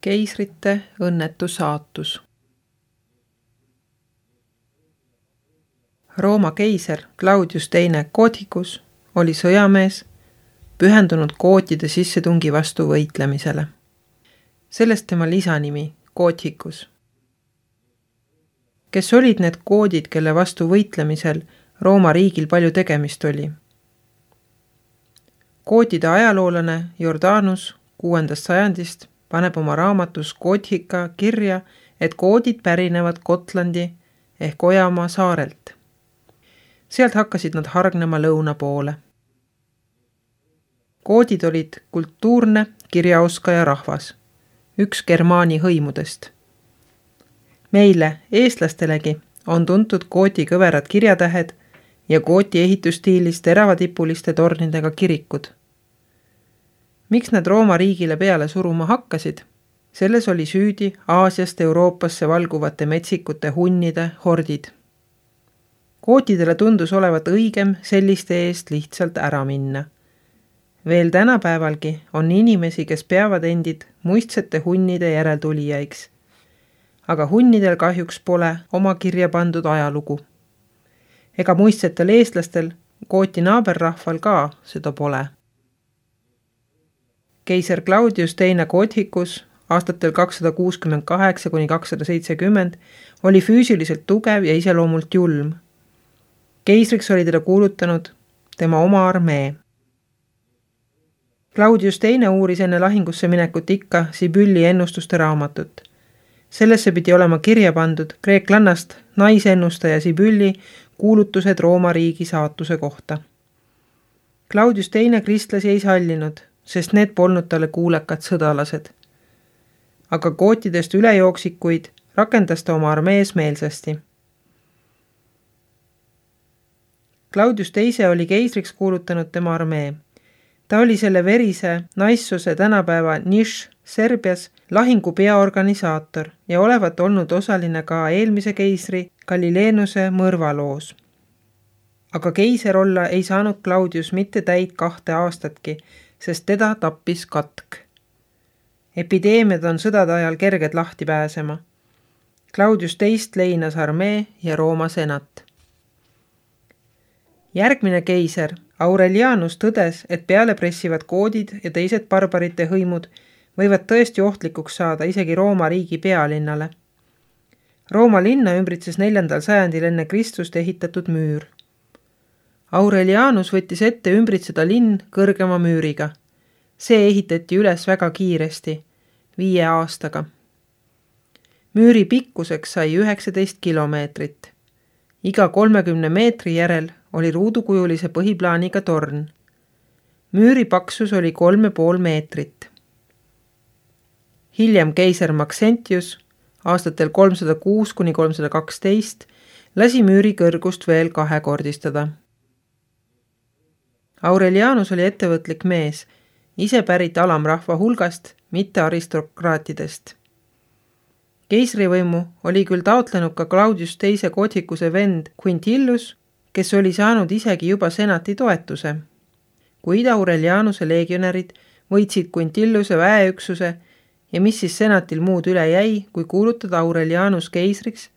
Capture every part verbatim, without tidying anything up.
Keisrite õnnetu saatus. Rooma keiser Claudius teine Gothicus oli sõjamees, pühendunud gootide sissetungi vastu võitlemisele. Sellest tema lisanimi Gothicus. Kes olid need goodid, kelle vastu võitlemisel Rooma riigil palju tegemist oli? Gootide ajaloolane Jordanus kuuendast sajandist paneb oma raamatus Gothica kirja, et goodid pärinevad Gotlandi ehk Ojamaa saarelt. Sealt hakkasid nad hargnema lõuna poole. Goodid olid kultuurne kirjaoskaja rahvas, üks Germaani hõimudest. Meile, eestlastelegi, on tuntud gooti kõverad kirjatähed ja gooti ehitusstiilis teravadipuliste tornidega kirikud. Miks nad Rooma riigile peale suruma hakkasid? Selles oli süüdi Aasiast Euroopasse valguvate metsikute hunnide hordid. Gootidele tundus olevat õigem selliste eest lihtsalt ära minna. Veel tänapäevalgi on inimesi, kes peavad endid muistsete hunnide järeltulijaiks. Aga hunnidel kahjuks pole oma kirja pandud ajalugu. Ega muistsetel eestlastel, gooti naaberrahval ka seda pole. Keiser Claudius teine Gothicus aastatel kakssada kuuskümmend kaheksa kuni kakssada seitsekümmend oli füüsiliselt tugev ja iseloomult julm. Keisriks oli teda kuulutanud tema oma armee. Claudius teine uuris enne lahingusse minekut ikka Sibylli ennustuste raamatut. Sellesse pidi olema kirja pandud kreeklannast naisennustaja Sibylli kuulutused Rooma riigi saatuse kohta. Claudius teine kristlasi ei sallinud, sest need polnud talle kuulekad sõdalased. Aga gootidest ülejooksikuid rakendas ta oma armees meelsasti. Claudius teise oli keisriks kuulutanud tema armee. Ta oli selle verise naissuse tänapäeva Niš Serbias lahingu peaorganisaator ja olevat olnud osaline ka eelmise keisri Galileenuse mõrvaloos. Aga keiser olla ei saanud Claudius mitte täit kahte aastatki, sest teda tappis katk. Epideemiad on sõdade ajal kerged lahti pääsema. Claudius teist leinas armee ja Rooma senat. Järgmine keiser, Aurelianus, tõdes, et peale pressivad goodid ja teised barbarite hõimud võivad tõesti ohtlikuks saada isegi Rooma riigi pealinnale. Rooma linna ümbritses neljandal sajandil enne Kristust ehitatud müür. Aurelianus võttis ette ümbritseda linn kõrgema müüriga. See ehitati üles väga kiiresti, viie aastaga. Müüri pikkuseks sai üheksateist kilomeetrit. Iga kolmekümne meetri järel oli ruudukujulise põhiplaaniga torn. Müüri paksus oli kolme pool meetrit. Hiljem keiser Maxentius aastatel kolmsada kuus kuni kolmsada kaksteist lasi müüri kõrgust veel kahekordistada. Aurelianus oli ettevõtlik mees, ise pärit alamrahva hulgast, mitte aristokraatidest. Keisrivõimu oli küll taotlenud ka Claudius teise Gothicuse vend Quintillus, kes oli saanud isegi juba senati toetuse. Kuid Aurelianuse legionärid võitsid Quintilluse väeüksuse ja mis siis senatil muud üle jäi, kui kuulutada Aurelianus keisriks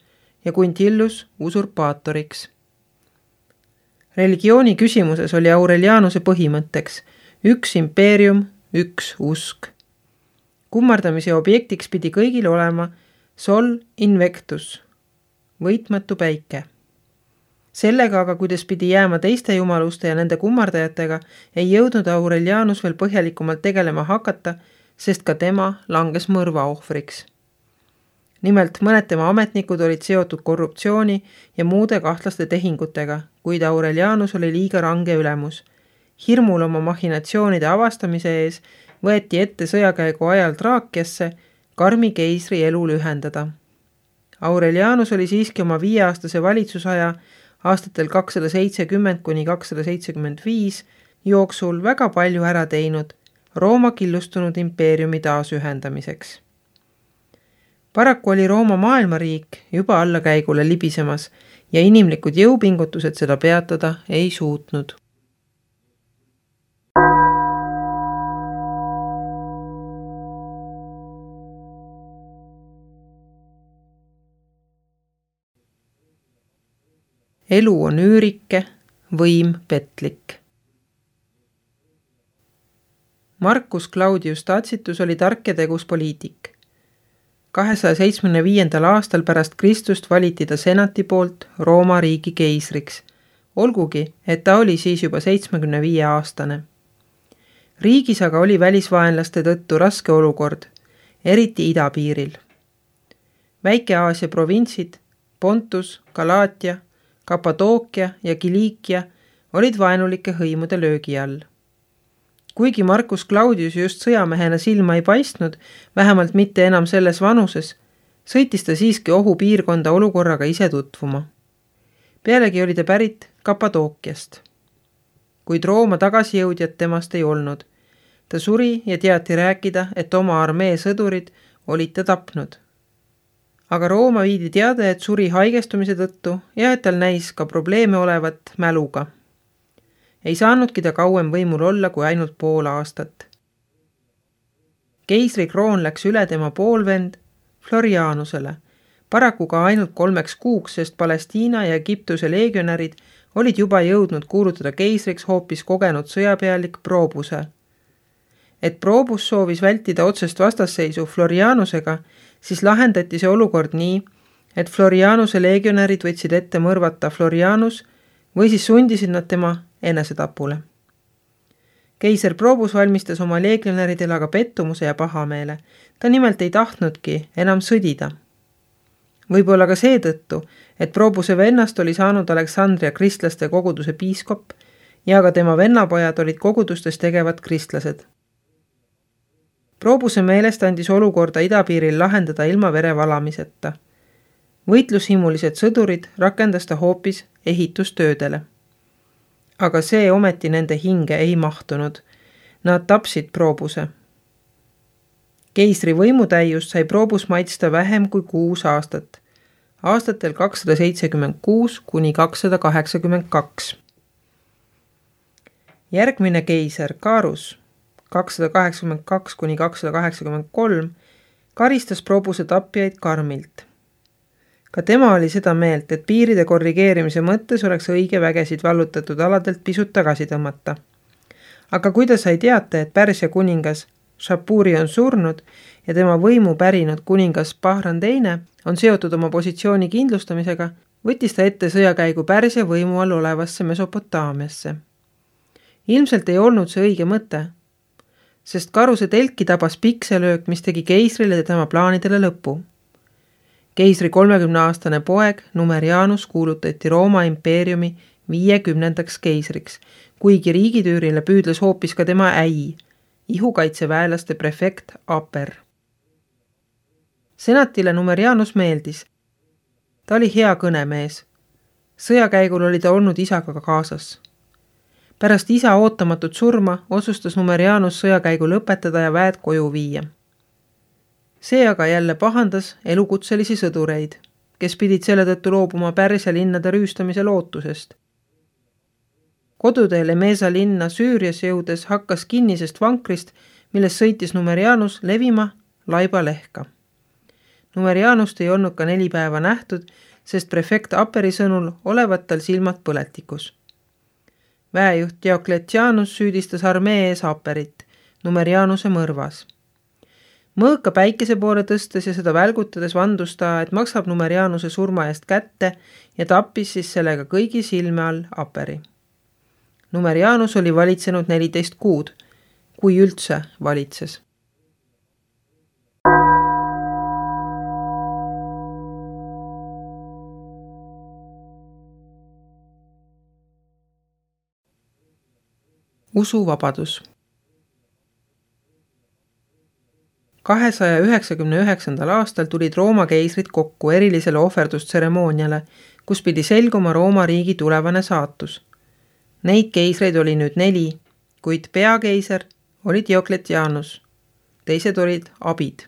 ja Quintillus usurpaatoriks. Religiooni küsimuses oli Aurelianuse põhimõtteks üks impeerium, üks usk. Kummardamise objektiks pidi kõigil olema sol invectus, võitmatu päike. Sellega aga, kuidas pidi jääma teiste jumaluste ja nende kummardajatega, ei jõudnud Aurelianus veel põhjalikumalt tegelema hakata, sest ka tema langes mõrva ohvriks. Nimelt mõned tema ametnikud olid seotud korruptsiooni ja muude kahtlaste tehingutega, kuid Aurelianus oli liiga range ülemus. Hirmul oma machinatsioonide avastamise ees võeti ette sõjakäigu ajal Traakiasse karmi keisri elu lühendada. Aurelianus oli siiski oma viieaastase valitsusaja aastatel kakssada seitsekümmend kuni kakssada seitsekümmend viis jooksul väga palju ära teinud Rooma killustunud impeeriumi taasühendamiseks. Paraku oli Rooma maailmariik juba allakäigule libisemas ja inimlikud jõupingutused seda peatada ei suutnud. elu on üürike, võim petlik. Marcus Claudius Tacitus oli tark ja tegus poliitik. kahesaja seitsmekümne viiendal aastal pärast Kristust valiti ta senati poolt Rooma riigi keisriks, olgugi, et ta oli siis juba seitsmekümne viie aastane. Riigis aga oli välisvaenlaste tõttu raske olukord, eriti idapiiril. Väike-Aasia provintsid, Pontus, Galaatia, Kapadookia ja Kiliikia olid vaenulike hõimude löögi all. Kuigi Marcus Claudius just sõjamehena silma ei paistnud, vähemalt mitte enam selles vanuses, sõitis ta siiski ohupiirkonda olukorraga ise tutvuma. Pealegi oli ta pärit Kapadookiast. Kuid Rooma tagasijõudjat temast ei olnud. Ta suri ja teati rääkida, et oma armee sõdurid olid ta tapnud. Aga Rooma viidi teada, et suri haigestumise tõttu ja et tal näis ka probleeme olevat mäluga. Ei saanudki ta kauem võimul olla kui ainult pool aastat. Keisri kroon läks üle tema poolvend Florianusele, paraku ka ainult kolmeks kuuks, sest Palestiina ja Egiptuse leegionärid olid juba jõudnud kuulutada keisriks hoopis kogenud sõjapealik Probuse. Et Probus soovis vältida otsest vastasseisu Florianusega, siis lahendati see olukord nii, et Florianuse leegionärid võtsid ette mõrvata Florianus või siis sundisid nad tema enesetapule. Keiser Probus valmistas oma leegionäridele aga pettumuse ja pahameele. Ta nimelt ei tahtnudki enam sõdida. Võib-olla ka seetõttu, et Probuse vennast oli saanud Aleksandria kristlaste koguduse piiskop ja ka tema vennapojad olid kogudustes tegevad kristlased. Probuse meelest andis olukorda idapiiril lahendada ilma vere valamiseta. Võitlushimulised sõdurid rakendas ta hoopis ehitustöödele. Aga see ometi nende hinge ei mahtunud. Nad tapsid Probuse. Keisri võimutäiust sai Probus maitsta vähem kui kuus aastat. Aastatel kakssada seitsekümmend kuus kuni kakssada kaheksakümmend kaks. Järgmine keiser Carus kakssada kaheksakümmend kaks kuni kakssada kaheksakümmend kolm karistas Probuse tapjaid karmilt. Ka tema oli seda meelt, et piiride korrigeerimise mõttes oleks õige vägesid vallutatud aladelt pisut tagasi tõmmata. Aga kui ta sai teata, et Pärsia kuningas Shapuri on surnud ja tema võimu pärinud kuningas Bahran teine on seotud oma positsiooni kindlustamisega, võttis ta ette sõjakäigu Pärsia võimu all olevasse Mesopotaamiasse. Ilmselt ei olnud see õige mõte, sest Caruse telki tabas pikselöök, mis tegi keisrile ja tema plaanidele lõpu. Keisri kolmekümneaastane poeg Numerianus kuulutati Rooma impeeriumi viiekümnendaks keisriks, kuigi riigitüürile püüdles hoopis ka tema äi, ihukaitseväelaste prefekt Aper. Senatile Numerianus meeldis. Ta oli hea kõnemees. Sõjakäigul oli ta olnud isaga kaasas. Pärast isa ootamatut surma otsustas Numerianus sõjakäigu lõpetada ja väed koju viia. See aga jälle pahandas elukutselisi sõdureid, kes pidid selle tõttu loobuma Pärsia linnade rüüstamise lootusest. Koduteel Emesa linna Süürias jõudes hakkas kinnisest vankrist, milles sõitis Numerianus levima laiba lehka. Numerianust ei olnud ka neli päeva nähtud, sest prefekt Aperi sõnul olevat tal silmad põletikus. Väejuht Diocletianus süüdistas armee ees Aperit Numerianuse mõrvas. Mõõka päikese poole tõstes ja seda välgutades vandus ta, et maksab Numerianuse surma eest kätte ja tappis siis sellega kõigi silme all Aperi. Numerianus oli valitsenud neliteist kuud, kui üldse valitses. Usuvabadus. kahesaja üheksakümne üheksandal aastal tulid Rooma keisrid kokku erilisele ohverdustseremooniale, kus pidi selguma Rooma riigi tulevane saatus. Neid keisreid oli nüüd neli, kuid peakeiser oli Diocletianus. Teised olid abid.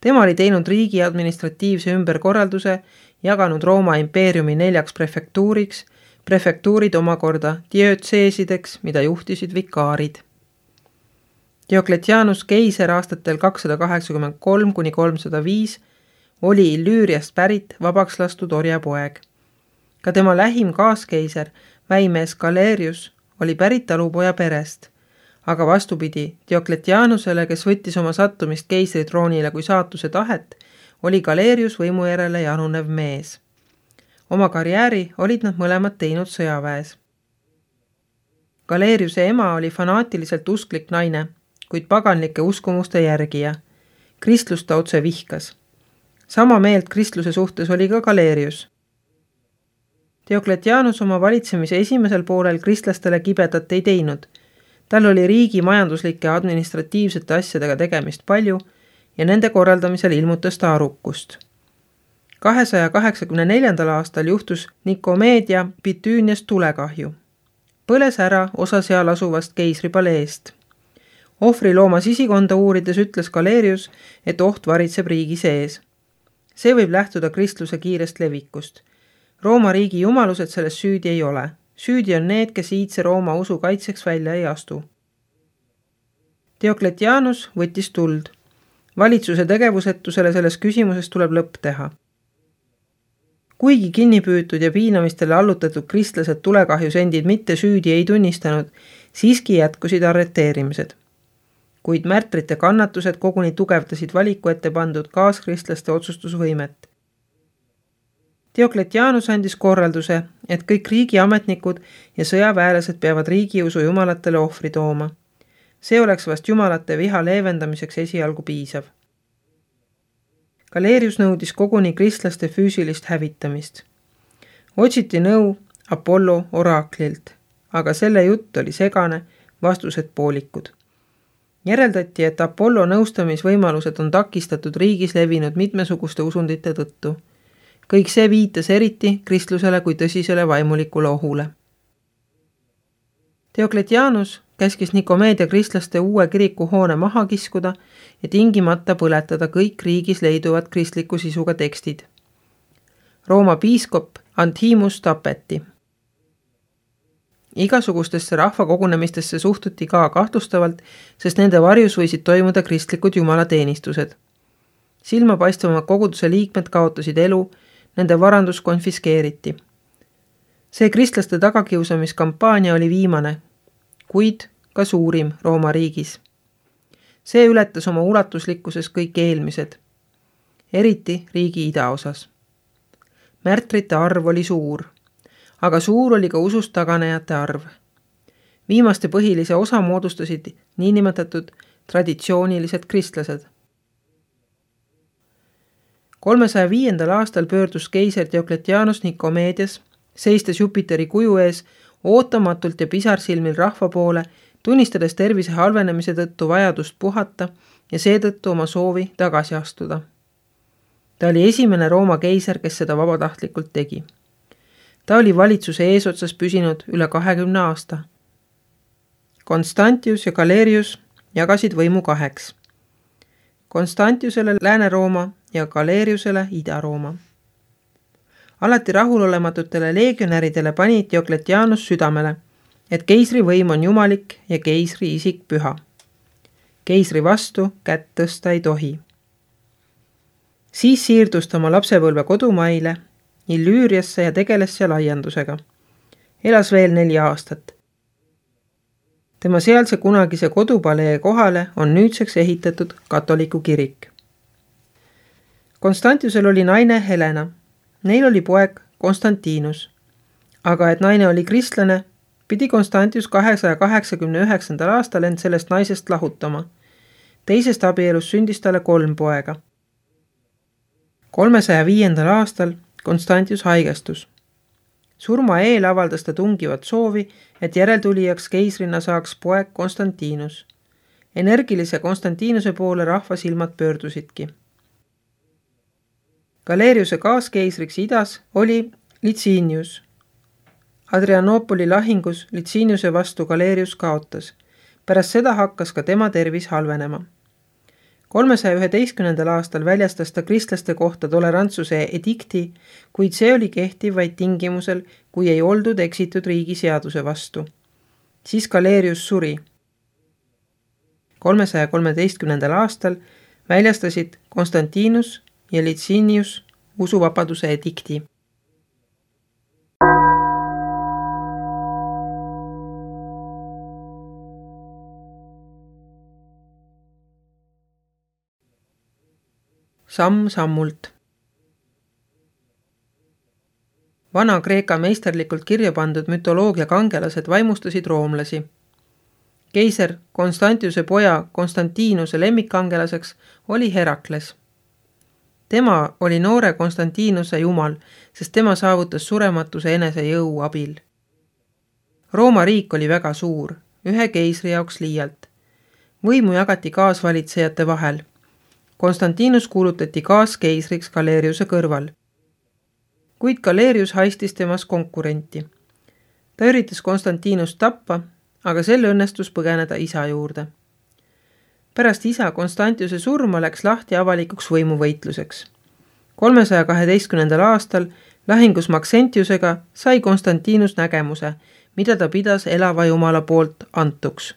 Tema oli teinud riigi administratiivse ümberkorralduse, jaganud Rooma impeeriumi neljaks prefektuuriks, prefektuurid omakorda diötseesideks, mida juhtisid vikaarid. Diocletianus keiser aastatel kakssada kaheksakümmend kolm kuni kolmsada viis oli Illüüriast pärit vabaks lastud orjapoeg. Ka tema lähim kaaskeiser, väimees Galerius, oli pärit talupoja perest, aga vastupidi Diokletianusele, kes võttis oma sattumist keisritroonile kui saatuse tahet, oli Galerius võimu järele janunev mees. Oma karjääri olid nad mõlemad teinud sõjaväes. Galeriuse ema oli fanaatiliselt usklik naine, kuid paganlike uskumuste järgija. Kristlust ta otse vihkas. Sama meelt kristluse suhtes oli ka Galerius. Diokletianus oma valitsemise esimesel poolel kristlastele kibedat ei teinud. Tal oli riigi majanduslike ja administratiivsete asjadega tegemist palju ja nende korraldamisel ilmutas ta arukust. kahesaja kaheksakümne neljandal aastal juhtus Nikomeedia Bitüünias tulekahju. Põles ära osa seal asuvast keisripaleest. Ohvri looma sisikonda uurides ütles Galerius, et oht varitseb riigi sees. See võib lähtuda kristluse kiirest levikust. Rooma riigi jumalused selles süüdi ei ole. Süüdi on need, kes iidse Rooma usu kaitseks välja ei astu. Diokletianus võttis tuld. Valitsuse tegevusetusele selles küsimuses tuleb lõpp teha. Kuigi kinnipüütud ja piinamistele allutatud kristlased tulekahjus endid mitte süüdi ei tunnistanud, siiski jätkusid arreteerimised. Kuid märtrite kannatused koguni tugevdasid valiku ette pandud kaaskristlaste otsustusvõimet. Diokletianus andis korralduse, et kõik riigiametnikud ja sõjaväelased peavad riigiusu jumalatele ohvri tooma. See oleks vast jumalate viha leevendamiseks esialgu piisav. Galerius nõudis koguni kristlaste füüsilist hävitamist. Otsiti nõu Apollo oraaklilt, aga selle jutt oli segane, vastused poolikud. Järeldati, et Apollo nõustamisvõimalused on takistatud riigis levinud mitmesuguste usundite tõttu. Kõik see viitas eriti kristlusele kui tõsisele vaimulikule ohule. Diokletianus käskis Nikomeedia kristlaste uue kiriku hoone maha kiskuda ja tingimata põletada kõik riigis leiduvad kristliku sisuga tekstid. Rooma piiskop Antimus tapeti. Igasugustesse rahvakogunemistesse suhtuti ka kahtlustavalt, sest nende varjus võisid toimuda kristlikud jumalateenistused. Silmapaistvamad koguduse liikmed kaotasid elu, nende varandus konfiskeeriti. See kristlaste tagakiusamiskampaania oli viimane, kuid ka suurim Rooma riigis. See ületas oma ulatuslikkuses kõik eelmised, eriti riigi idaosas. Märtrite arv oli suur, aga suur oli ka usust taganejate arv. Viimaste põhilise osa moodustasid niinimetatud traditsioonilised kristlased. kolmesaja viiendal aastal pöördus keiser Diokletianus Nikomeedias, seistes Jupiteri kuju ees, ootamatult ja pisarsilmil rahva poole, tunnistades tervise halvenemise tõttu vajadust puhata ja seetõttu oma soovi tagasi astuda. Ta oli esimene Rooma keiser, kes seda vabatahtlikult tegi. Ta oli valitsuse eesotsas püsinud üle kahekümne aasta. Constantius ja Galerius jagasid võimu kaheks. Constantiusele Lääne-Rooma ja Galeriusele Ida-Rooma. Alati rahulolematutele legionäridele pani Diokletianus südamele, et keisri võim on jumalik ja keisri isik püha. Keisri vastu kätt tõsta ei tohi. Siis siirdus ta oma lapsepõlve kodumaile, Illüüriasse ja tegeles seal aiandusega. Elas veel neli aastat. Tema sealse kunagise kodupalee kohale on nüüdseks ehitatud katoliku kirik. Constantiusel oli naine Helena. Neil oli poeg Konstantinus. Aga et naine oli kristlane, pidi Constantius kahesaja kaheksakümne üheksandal aastal end sellest naisest lahutama. Teisest abielus sündis talle kolm poega. kolmesaja viiendal aastal Constantius haigestus. Surma eel avaldas ta tungivat soovi, et järeltulijaks keisrina saaks poeg Konstantinus. Energilise Konstantinuse poole rahva silmad pöördusidki. Galeriuse kaaskeisriks idas oli Licinius. Adrianopoli lahingus Liciniuse vastu Galerius kaotas. Pärast seda hakkas ka tema tervis halvenema. kolmesaja üheteistkümnendal aastal väljastas ta kristlaste kohta tolerantsuse edikti, kuid see oli kehtiv vaid tingimusel, kui ei oldud eksitud riigi seaduse vastu. Siis Galerius suri. kolmesaja kolmeteistkümnendal aastal väljastasid Konstantinus ja Licinius usuvabaduse edikti. samm-sammult. Vana-Kreeka meisterlikult kirja pandud mütoloogia kangelased vaimustasid roomlasi. Keiser Konstantiuse poja Konstantinuse lemmikkangelaseks oli Herakles. Tema oli noore Konstantinuse jumal, sest tema saavutas surematuse enese jõu abil. Rooma riik oli väga suur, ühe keisri jaoks liialt. Võimu jagati kaasvalitsejate vahel. Konstantinus kuulutati kaaskeisriks Galeriuse kõrval. Kuid Galerius haistis temas konkurenti. Ta üritas Konstantinust tappa, aga sel õnnestus põgeneda isa juurde. Pärast isa Konstantiuse surma läks lahti avalikuks võimuvõitluseks. kolmesaja kaheteistkümnendal aastal lahingus Maxentiusega sai Konstantinus nägemuse, mida ta pidas elava jumala poolt antuks.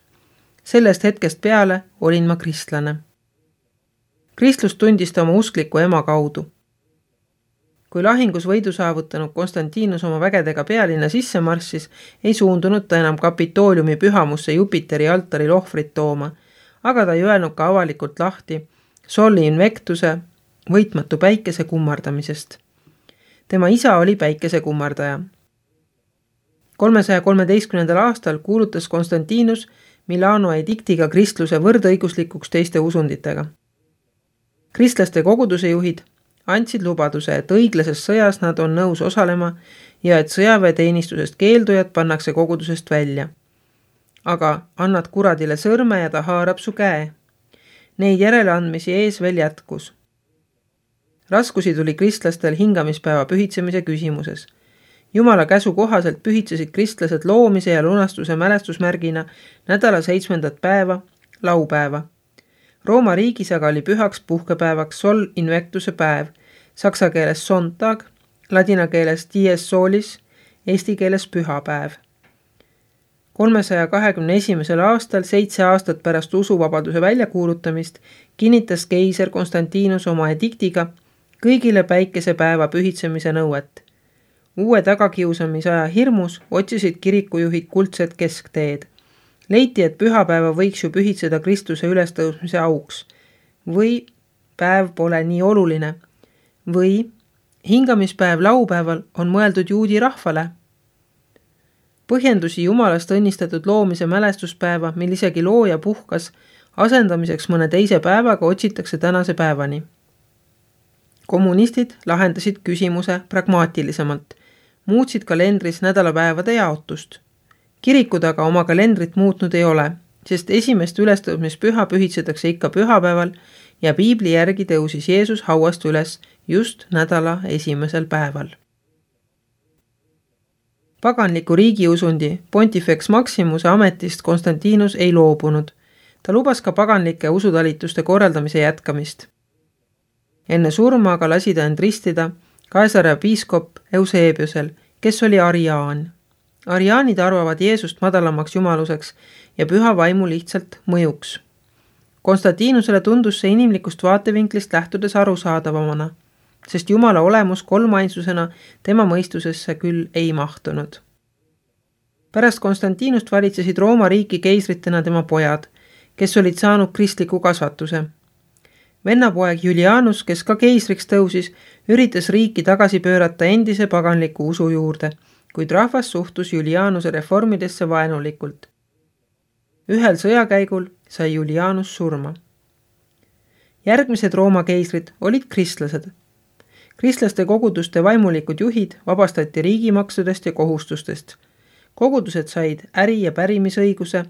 Sellest hetkest peale olin ma kristlane. Kristlust tundis ta oma uskliku ema kaudu. Kui lahingus võidu saavutanud Konstantinus oma vägedega pealinna sisse marssis, ei suundunud ta enam Kapitooliumi pühamusse Jupiteri altaril ohvrit tooma, aga ta ei öelnud ka avalikult lahti Sol Invectuse võitmatu päikese kummardamisest. Tema isa oli päikese kummardaja. kolmesaja kolmeteistkümnendal aastal kuulutas Konstantinus Milano ediktiga kristluse võrdõiguslikuks teiste usunditega. Kristlaste koguduse juhid andsid lubaduse, et õiglases sõjas nad on nõus osalema ja et sõjaväeteenistusest keeldujad pannakse kogudusest välja. Aga annad kuradile sõrme ja ta haarab su käe. Neid järeleandmisi ees veel jätkus. Raskusi tuli kristlastel hingamispäeva pühitsemise küsimuses. Jumala käsu kohaselt pühitsesid kristlased loomise ja lunastuse mälestusmärgina nädala seitsmendat päeva, laupäeva. Rooma riigis aga oli pühaks puhkepäevaks Sol Invectuse päev, saksa keeles Sonntag, ladina keeles Dies Solis, eesti keeles pühapäev. kolmesaja kahekümne esimesel aastal, seitse aastat pärast usuvabaduse väljakuulutamist, kinnitas keiser Konstantinus oma ediktiga kõigile päikesepäeva pühitsemise nõuet. Uue tagakiusamisaja hirmus otsisid kirikujuhid kuldset keskteed. Leiti, et pühapäeva võiks ju pühitseda Kristuse ülestõusmise auks. Või päev pole nii oluline. Või hingamispäev laupäeval on mõeldud juudi rahvale. Põhjendusi jumalast õnnistatud loomise mälestuspäeva, mil isegi looja puhkas, asendamiseks mõne teise päevaga otsitakse tänase päevani. Kommunistid lahendasid küsimuse pragmaatilisemalt. Muutsid kalendris nädalapäevade jaotust. Kirikud aga oma kalendrit muutnud ei ole, sest esimest ülestõusmispüha pühitsetakse ikka pühapäeval ja piibli järgi tõusis Jeesus hauast üles just nädala esimesel päeval. Paganliku riigiusundi Pontifex Maximuse ametist Konstantinus ei loobunud. Ta lubas ka paganlike usutalituste korraldamise jätkamist. Enne surma aga lasi ta end ristida Kaesarea piiskop Eusebiusel, kes oli ariaan. Ariaanid arvavad Jeesust madalamaks jumaluseks ja püha vaimu lihtsalt mõjuks. Konstantinusele tundus see inimlikust vaatevinklist lähtudes arusaadavamana, sest Jumala olemus kolmainsusena tema mõistusesse küll ei mahtunud. Pärast Konstantinust valitsesid Rooma riiki keisritena tema pojad, kes olid saanud kristliku kasvatuse. Vennapoeg Julianus, kes ka keisriks tõusis, üritas riiki tagasi pöörata endise paganliku usu juurde, kuid rahvas suhtus Julianuse reformidesse vaenulikult. Ühel sõjakäigul sai Julianus surma. Järgmised Rooma keisrid olid kristlased. Kristlaste koguduste vaimulikud juhid vabastati riigimaksudest ja kohustustest. Kogudused said äri- ja pärimisõiguse,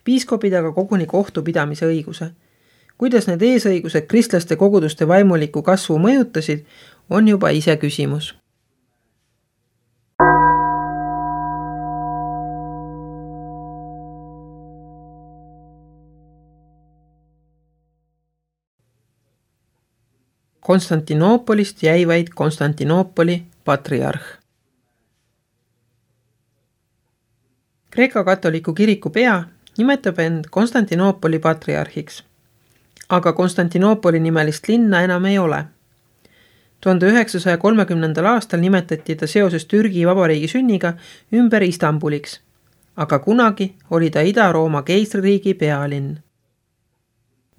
piiskopid aga koguni kohtupidamise õiguse. Kuidas need eesõigused kristlaste koguduste vaimuliku kasvu mõjutasid, on juba ise küsimus. Konstantinoopolist jäi vaid Konstantinoopoli patriarh. Kreeka katoliku kiriku pea nimetab end Konstantinoopoli patriarhiks, aga Konstantinoopoli nimelist linna enam ei ole. tuhande üheksasaja kolmekümnendal aastal nimetati ta seoses Türgi vabariigi sünniga ümber Istanbuliks, aga kunagi oli ta Ida-Rooma keisririigi pealinn.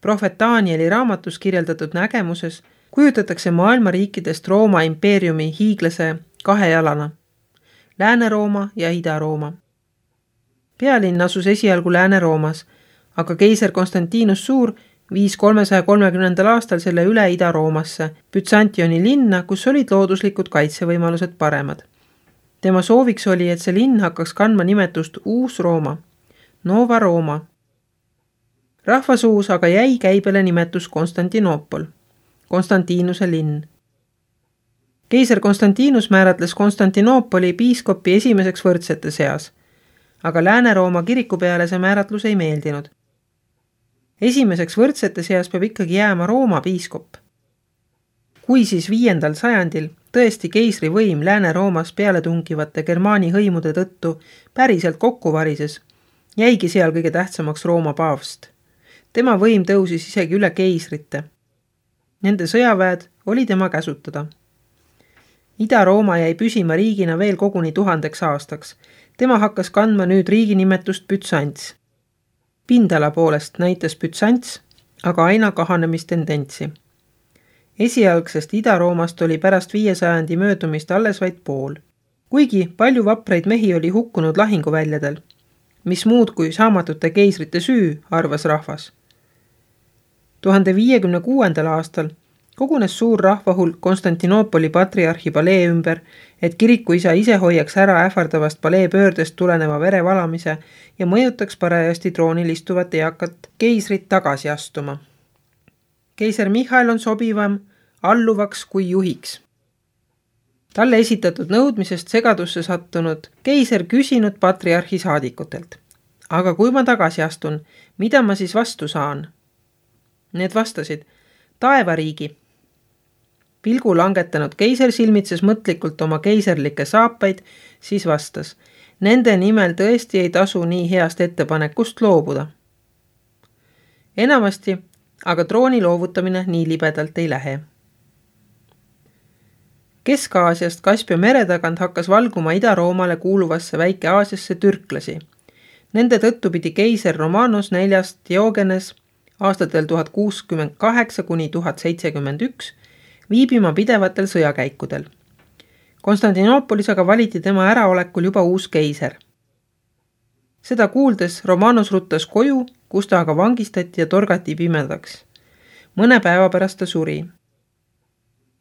Prohvet Danieli raamatus kirjeldatud nägemuses Kujutatakse maailma riikidest Rooma impeeriumi hiiglase kahe jalana, Lääne-Rooma ja Ida-Rooma. Pealinn asus esialgu Lääne-Roomas, aga keiser Konstantinus Suur viis kolmesaja kolmekümnendal aastal selle üle Ida-Roomasse, Byzantioni linna, kus olid looduslikud kaitsevõimalused paremad. Tema sooviks oli, et see linn hakkaks kandma nimetust Uus-Rooma, Nova Rooma. Rahvasuus aga jäi käibele nimetus Konstantinoopol, Konstantinuse linn. Keiser Konstantinus määratles Konstantinoopoli piiskopi esimeseks võrdsete seas, aga Lääne-Rooma kiriku peale see määratlus ei meeldinud. Esimeseks võrdsete seas peab ikkagi jääma Rooma piiskop. Kui siis viiendal sajandil tõesti keisri võim Lääne-Roomas peale tungivate Germaani hõimude tõttu päriselt kokku varises, jäigi seal kõige tähtsamaks Rooma paavst. Tema võim tõusis isegi üle keisrite. Nende sõjaväed oli tema käsutada. Ida-Rooma jäi püsima riigina veel koguni tuhandeks aastaks. Tema hakkas kandma nüüd riigi nimetust Byzants. Pindala poolest näitas Byzants, aga aina kahanemistendentsi. Esialgsest Ida-Roomast oli pärast viiesajandi möödumist alles vaid pool. Kuigi palju vapraid mehi oli hukkunud lahinguväljadel, mis muud kui saamatute keisrite süü, arvas rahvas. tuhande viiekümne kuuendal aastal kogunes suur rahvahulk Konstantinoopoli patriarhi palee ümber, et kirikuisa ise hoiaks ära ähvardavast palee pöördest tuleneva verevalamise ja mõjutaks parajasti troonil istuvat eakat keisrit tagasi astuma. Keiser Michael on sobivam alluvaks kui juhiks. Talle esitatud nõudmisest segadusse sattunud keiser küsinud patriarhi saadikutelt. Aga kui ma tagasi astun, mida ma siis vastu saan? Need vastasid, taevariigi. Pilgu langetanud keiser silmitses mõtlikult oma keiserlikke saapaid, siis vastas, nende nimel tõesti ei tasu nii heast ettepanekust loobuda. Enamasti aga trooni loovutamine nii libedalt ei lähe. Kesk-Aasiast Kaspia mere tagant hakkas valguma Ida-Roomale kuuluvasse Väike-Aasiasse türklasi. Nende tõttu pidi keiser Romanos neljast Diogenes aastatel tuhat kuuskümmend kaheksa kuni tuhat seitsekümmend üks viibima pidevatel sõjakäikudel. Konstantinoopolis aga valiti tema äraolekul juba uus keiser. Seda kuuldes Romanos ruttas koju, kus ta aga vangistati ja torgati pimedaks. Mõne päeva pärast ta suri.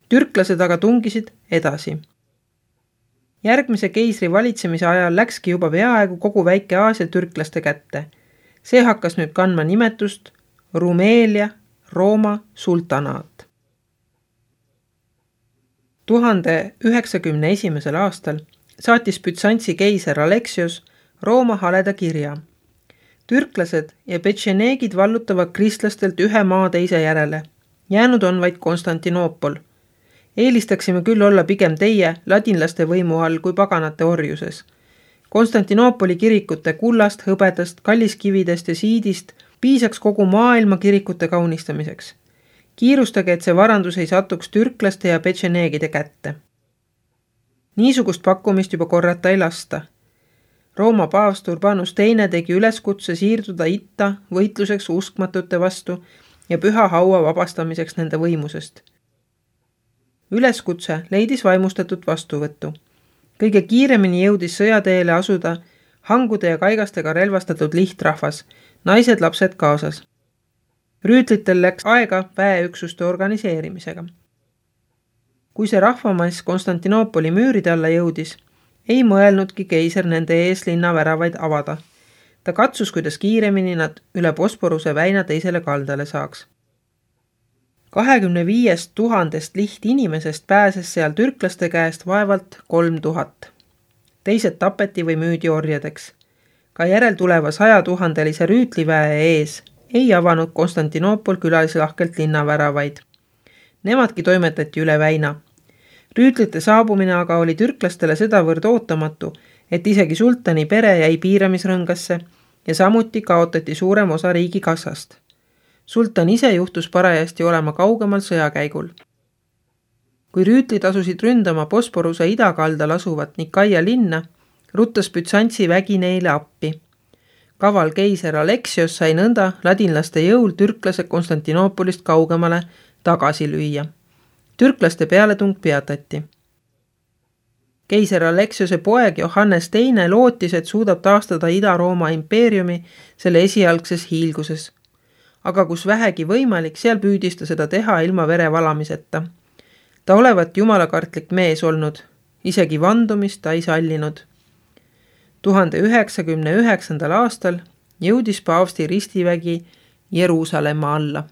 Türklased aga tungisid edasi. Järgmise keisri valitsemise ajal läkski juba peaaegu kogu Väike-Aasia türklaste kätte. See hakkas nüüd kandma nimetust Rumelia Rooma sultanaat. tuhande üheksakümne esimesel aastal saatis Byzantsi keiser Aleksios Rooma haleda kirja. Türklased ja petšeneegid vallutavad kristlastelt ühe maa teise järele. Jäänud on vaid Konstantinoopol. Eelistaksime küll olla pigem teie ladinlaste võimu all kui paganate orjuses. Konstantinoopoli kirikute kullast, hõbedast, kalliskividest ja siidist piisaks kogu maailma kirikute kaunistamiseks. Kiirustage, et see varandus ei satuks türklaste ja petšeneegide kätte. Niisugust pakkumist juba korrata ei lasta. Rooma paavst Urbanus teine tegi üleskutse siirduda itta võitluseks uskmatute vastu ja püha haua vabastamiseks nende võimusest. Üleskutse leidis vaimustatut vastuvõttu. Kõige kiiremini jõudis sõjateele asuda hangude ja kaigastega relvastatud lihtrahvas, naised, lapsed kaasas. Rüütlitel läks aega väeüksuste organiseerimisega. Kui see rahvamass Konstantinoopoli müüride alla jõudis, ei mõelnudki keiser nende ees linna väravaid avada. Ta katsus, kuidas kiiremini nad üle Bosporuse väina teisele kaldale saaks. kahekümne viiest tuhandest liht inimesest pääses seal türklaste käest vaevalt kolm tuhat. Teised tapeti või müüdi orjadeks. Ka järeltuleva sajatuhandelise rüütliväe ees ei avanud Konstantinoopol külalislahkelt linnaväravaid. Nemadki toimetati üle väina. Rüütlite saabumine aga oli türklastele sedavõrd ootamatu, et isegi sultani pere jäi piiramisrõngasse ja samuti kaotati suurem osa riigi kassast. Sultan ise juhtus parajasti olema kaugemal sõjakäigul. Kui rüütlid asusid ründama Bosporuse idakaldal asuvat Nikaia linna, ruttas Byzantsi vägi neile appi. Kaval keiser Aleksios sai nõnda ladinlaste jõul türklase Konstantinoopolist kaugemale tagasi lüüa. Türklaste pealetung peatati. Keiser Aleksiose poeg Johannes teine lootis, et suudab taastada Ida-Rooma impeeriumi selle esialgses hiilguses. Aga kus vähegi võimalik, seal püüdis ta seda teha ilma verevalamiseta. Ta olevat jumalakartlik mees olnud, isegi vandumist ta ei sallinud. tuhande üheksakümne üheksandal aastal jõudis paavsti ristivägi Jeruusalemma alla.